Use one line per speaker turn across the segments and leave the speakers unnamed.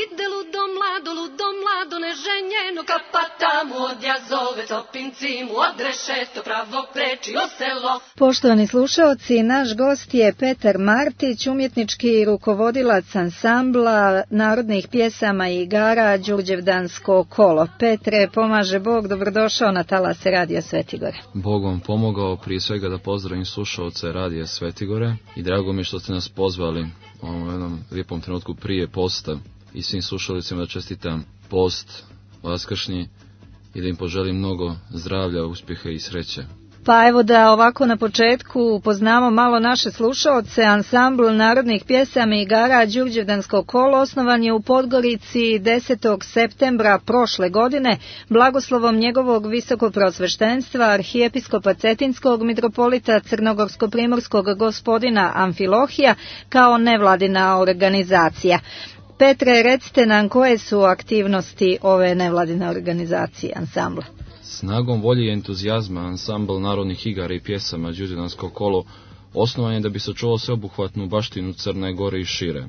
ide ludo mlado neženjeno, kapatamu odja zove, topinci mu odrešeto, pravo kreči o selo.
Poštovani slušaoci, naš gost je Petar Martić, umjetnički rukovodilac ansambla narodnih pjesama i igara Đurđevdansko kolo. Petre, pomaže Bog, dobrodošao na talase Radija Svetigore.
Bog vam pomogao, prije svega da pozdravim slušaoce Radija Svetigore i drago mi je što ste nas pozvali u jednom lijepom trenutku prije posta i svim slušalicima da čestitam post vaskršnji i da im poželim mnogo zdravlja, uspjeha i sreće.
Pa evo da ovako na početku upoznamo malo naše slušaoce. Ansambl narodnih pjesama i igara Đurđevdansko kolo osnovan je u Podgorici 10. septembra prošle godine blagoslovom njegovog visokoprosveštenstva arhijepiskopa Cetinskog mitropolita Crnogorsko-primorskog gospodina Amfilohija kao nevladina organizacija. Petre, recite nam koje su aktivnosti ove nevladine organizacije ansambla?
Snagom volje i entuzijazma ansambl narodnih igara i pjesama Đurđevdansko kolo osnovan je da bi sačuvao sveobuhvatnu baštinu Crne Gore i šire.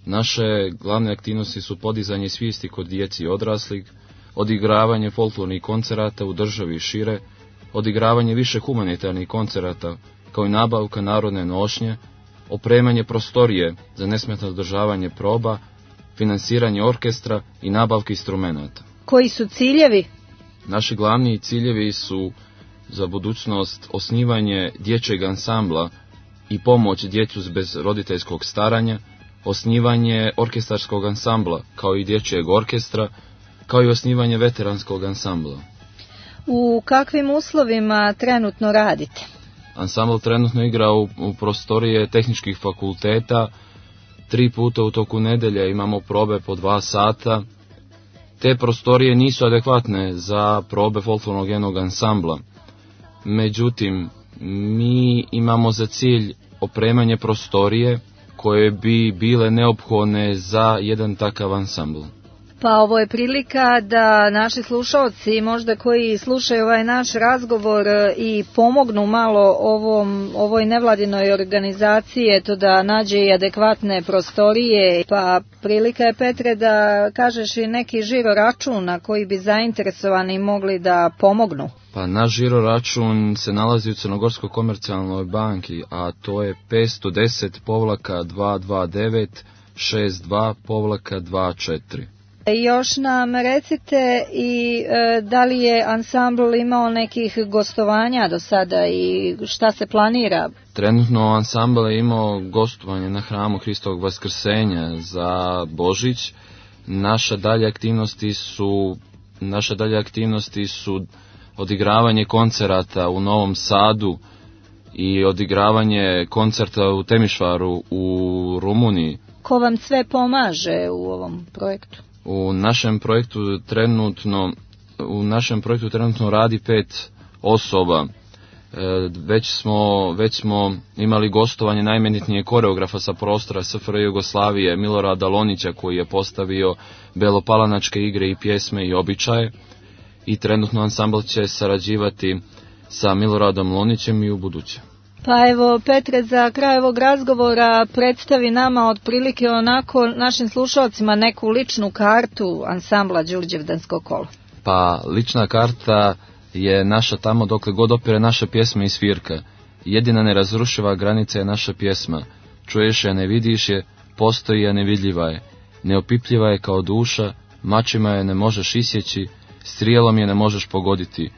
Naše glavne aktivnosti su podizanje svijesti kod djeci i odraslih, odigravanje folklornih koncerata u državi i šire, odigravanje više humanitarnih koncerata, kao i nabavka narodne nošnje, opremanje prostorije za nesmetano održavanje proba, finansiranje orkestra i nabavke instrumenata.
Koji su ciljevi?
Naši glavni ciljevi su za budućnost osnivanje dječjeg ansambla i pomoć djecu bez roditeljskog staranja, osnivanje orkestarskog ansambla kao i dječjeg orkestra, kao i osnivanje veteranskog ansambla.
U kakvim uslovima trenutno radite?
Ansambl trenutno igra u prostorije tehničkih fakulteta, 3 puta u toku nedelje imamo probe po 2 sata. Te prostorije nisu adekvatne za probe folklornog jednog ansambla. Međutim, mi imamo za cilj opremanje prostorije koje bi bile neophodne za jedan takav ansambl.
Pa ovo je prilika da naši slušalci, možda koji slušaju ovaj naš razgovor i pomognu malo ovoj nevladinoj organizaciji, eto da nađe i adekvatne prostorije. Pa prilika je, Petre, da kažeš i neki žiro račun na koji bi zainteresovani mogli da pomognu.
Pa naš žiro račun se nalazi u Crnogorskoj komercijalnoj banki, a to je 510-229-62-24.
Još nam recite i da li je ansambl imao nekih gostovanja do sada i šta se planira?
Trenutno ansambl je imao gostovanje na hramu Hristovog Vaskrsenja za Božić. Naše dalje aktivnosti su odigravanje koncerata u Novom Sadu i odigravanje koncerta u Temišvaru u Rumuniji.
Ko vam sve pomaže u ovom projektu?
U našem projektu trenutno radi 5 osoba. Već smo imali gostovanje najmenitnije koreografa sa prostora SFRJ Jugoslavije, Milorada Lonića, koji je postavio belopalanačke igre i pjesme i običaje. I trenutno ansambl će sarađivati sa Miloradom Lonićem i u buduće.
Pa evo, Petre, za kraj ovog razgovora predstavi nama otprilike onako našim slušalcima neku ličnu kartu ansambla Đurđevdansko kolo.
Pa lična karta je naša tamo dokle god opire naša pjesma i svirka. Jedina nerazrušiva granica je naša pjesma. Čuješ je, ne vidiš je, postoji je, nevidljiva je. Neopipljiva je kao duša, mačima je ne možeš isjeći, strijelom je ne možeš pogoditi,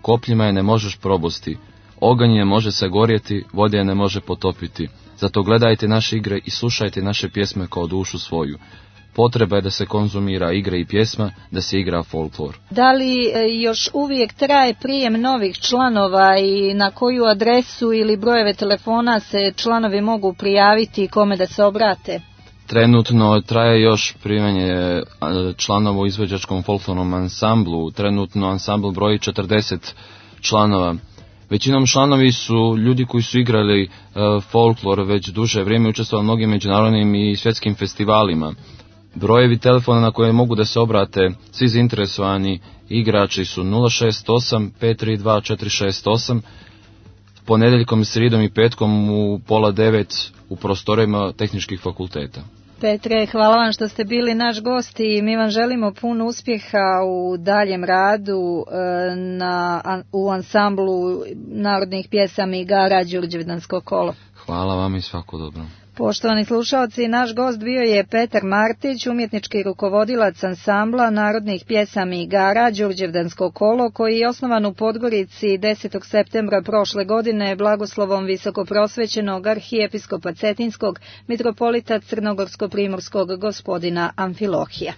kopljima je ne možeš probosti. Oganj ne može se gorjeti, vode je ne može potopiti. Zato gledajte naše igre i slušajte naše pjesme kao dušu svoju. Potreba je da se konzumira igra i pjesma, da se igra folklor.
Da li još uvijek traje prijem novih članova i na koju adresu ili brojeve telefona se članovi mogu prijaviti i kome da se obrate?
Trenutno traje još primanje članova u izvođačkom folklornom ansamblu. Trenutno ansambl broji 40 članova. Većinom članovi su ljudi koji su igrali folklor već duže vrijeme, učestvovali mnogim međunarodnim i svjetskim festivalima. Brojevi telefona na koje mogu da se obrate svi zainteresovani igrači su 068 532 468, ponedjeljkom, srijedom i petkom u 8:30 u prostorijama tehničkih fakulteta.
Petre, hvala vam što ste bili naš gost i mi vam želimo puno uspjeha u daljem radu u ansamblu narodnih pjesama i igara Đurđevdansko kolo.
Hvala vam i svako dobro.
Poštovani slušalci, naš gost bio je Petar Martić, umjetnički rukovodilac ansambla narodnih pjesama i igara Đurđevdansko kolo, koji je osnovan u Podgorici 10. septembra prošle godine blagoslovom visokoprosvećenog arhijepiskopa Cetinskog mitropolita Crnogorsko-primorskog gospodina Amfilohija.